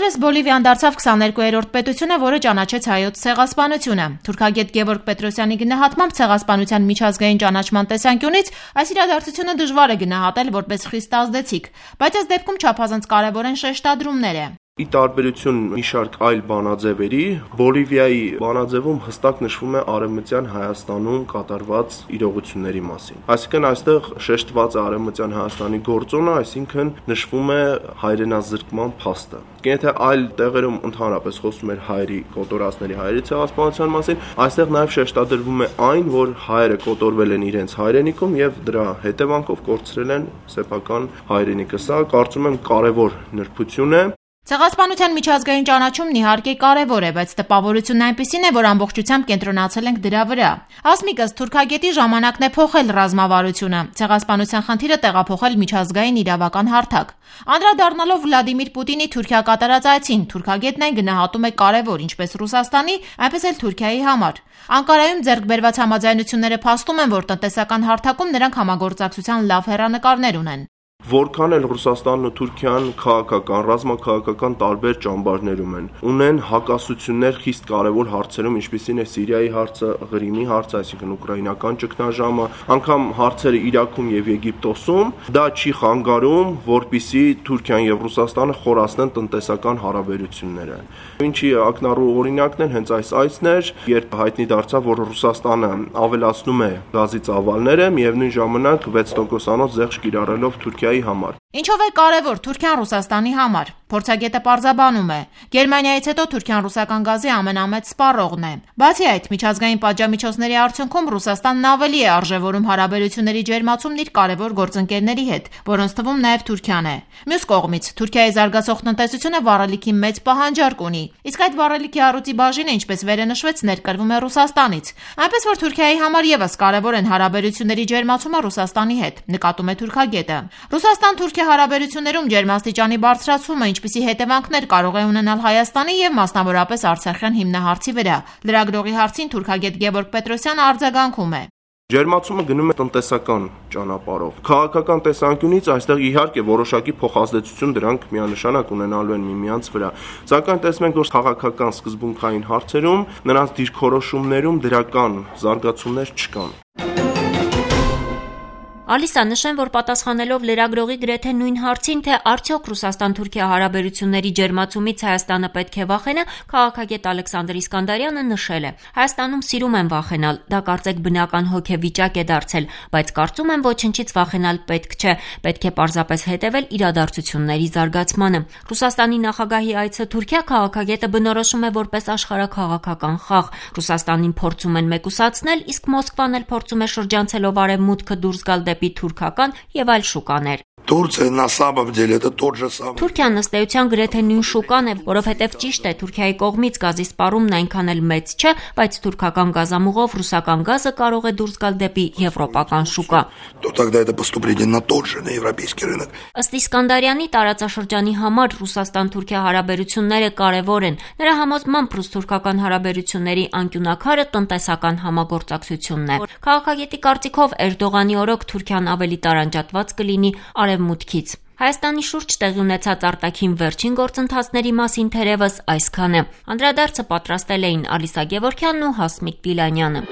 Օրերս Բոլիվիան դարձավ 22-րդ պետությունը, որը ճանաչեց հայոց ցեղասպանությունը։ Թուրքագետ Գևորգ Պետրոսյանի գնահատմամբ ցեղասպանության միջազգային ճանաչման տեսանկյունից այս իրադարձությունը դժվար է գնահատել որպես խիստ ազդեցիկ, բայց այս դեպքում չափազանց կարևոր են շեշտադրումները։ Ի տարբերություն մի շարք այլ բանաձևերի, Բոլիվիայի բանաձևում հստակ նշվում է Արևմտյան Հայաստանում կատարված իրողությունների մասին։ Այսինքն այստեղ շեշտված է Արևմտյան Հայաստանի գործոնը, այսինքն նշվում է հայրենազրկման փաստը։ Եթե այլ տեղերում ընդհանրապես խոսում էր հայերի կոտորածների հայերի ցեղասպանության մասին, այստեղ նաև շեշտադրվում է այն, որ հայերը կոտորվել են իրենց հայրենիքում եւ դրա հետևանքով կորցրել են սեփական հայրենիքը։ Սա կարծում եմ կարևոր նրբություն է։ Ցեղասպանության միջազգային ճանաչումն իհարկե կարևոր է, բայց տպավորությունն այնպիսին է, որ ամբողջությամբ կենտրոնացել ենք դրա վրա։ Ասմիկս թուրքագետի ժամանակն է փոխել ռազմավարությունը, ցեղասպանության խնդիրը տեղափոխել միջազգային իրավական հարթակ։ Անդրադառնալով Վլադիմիր Պուտինի Թուրքիա կատարած այցին, թուրքագետն այն գնահատում է կարևոր ինչպես Ռուսաստանի, այնպես էլ Թուրքիայի համար։ Անկարայում ձեռք բերված համաձայնությունները փաստում են, որ տնտեսական հարթակում նրանք համագործակցության լավ հեռանկարներ ունեն։ Որքան էլ Ռուսաստանն ու Թուրքիան քաղաքական, ռազմաքաղաքական տարբեր ճամբարներում են, ունեն հակասություններ խիստ կարևոր հարցերում, ինչպիսին է Սիրիայի հարցը, Ղրիմի հարցը, այսինքն ուկրաինական ճգնաժամը, անգամ հարցերը Իրաքում եւ Եգիպտոսում, դա չի խանգարում, որպիսի Թուրքիան եւ Ռուսաստանը խորացնեն տնտեսական հարաբերությունները։ Ինչի ակնառու օրինակն են հենց այս այցն էր, երբ հայտնի դարձավ, որ Ռուսաստանը ավելացնում է գազի ծավալները, միևնույն ժամանակ 6%-անոց զեղչ կիրառելով Թուրքիայի համար։ Ինչով է կարևոր Թուրքիան Ռուսաստանի համար։ Փորձագետը պարզաբանում է. Գերմանիայից հետո Թուրքիան ռուսական գազի ամենամեծ սպառողն է։ Բացի այդ, միջազգային պատժամիջոցների արդյունքում Ռուսաստանն ավելի է արժևորում հարաբերությունների ջերմացումն իր կարևոր գործընկերների հետ, որոնց թվում նաև Թուրքիան է։ Մյուս կողմից, Թուրքիայի զարգացող տնտեսությունը վառելիքի մեծ պահանջարկ ունի, իսկ այդ վառելիքի առյուծի բաժինը, ինչպես վերը նշվեց, ներկրվում է Ռուսաստանից։ Այնպես որ Թուրքիայի համար եւս կարևոր են հարաբերությունների ջերմացումը Ռուսաստանի հետ, նկատում է թուրքագետը։ Ռուսաստան-Թուրքիա հարաբերություններում ջերմաստիճանի բարձրացումը ինչպիսի հետևանքներ կարող է ունենալ Հայաստանի եւ մասնավորապես Արցախյան հիմնահարցի վրա։ Լրագրողի հարցին թուրքագետ Գևորգ Պետրոսյանը արձագանքում է. Ջերմացումը գնում է տնտեսական ճանապարհով։ Քաղաքական տեսանկյունից այստեղ իհարկե որոշակի փոխազդեցություն դրանք միանշանակ ունենալու են միմյանց վրա։ Սակայն տեսնում ենք, որ քաղաքական սկզբունքային հարցերում նրանց դիրքորոշումներում դրական զարգացումներ չկան։ Ալիսա, նշեմ, որ պատասխանելով լրագրողի գրեթե նույն հարցին, թե արդյոք Ռուսաստան-Թուրքիա հարաբերությունների ջերմացումից Հայաստանը պետք է վախենա, քաղաքագետ Ալեքսանդր Իսկանդարյանը նշել է. Հայաստանում սիրում են վախենալ, դա կարծեք բնական հոգեվիճակ է դարձել, բայց կարծում եմ ոչնչից վախենալ պետք չէ, պետք է պարզապես հետևել իրադարձությունների զարգացմանը։ Ռուսաստանի նախագահի այցը Թուրքիա քաղաքագետը բնորոշում է որպես աշխարհաքաղաքական խաղ։ Ռուսաստանին փորձում են մեկուսացնել, իսկ Մոսկվան էլ փորձում է շրջանցելով արևմուտքը դուրս գալ դեպի թուրքական եւ այլ շուկաներ։ Турция на самом деле это тот же самый. Թուրքիան ըստ էության գրեթե նույն շուկան է, որովհետև ճիշտ է, Թուրքիայի կողմից գազի սպառումն այնքան էլ մեծ չէ, բայց թուրքական գազամուղով ռուսական գազը կարող է դուրս գալ դեպի եվրոպական շուկա։ То тогда это поступление на тот же, на европейский рынок. Ըստ Իսկանդարյանի տարածաշրջանի համար Ռուսաստան-Թուրքիա հարաբերությունները կարևոր են։ Նրա համոզմամբ ռուս-թուրքական հարաբերությունների անկյունակարը տնտեսական համագործակցությունն է։ Քաղաքագետի կարծիքով Էրդողանի օրոք Թուրքիան ավելի տարանջատված կլինի արևմուտքից։ Հայաստանի շուրջ տեղի ունեցած արտաքին վերջին գործընթացների մասին թերևս այսքանը։ Անդրադարձը պատրաստել էին Ալիսա Գևորգյանն ու Հասմիկ Գիլանյանը։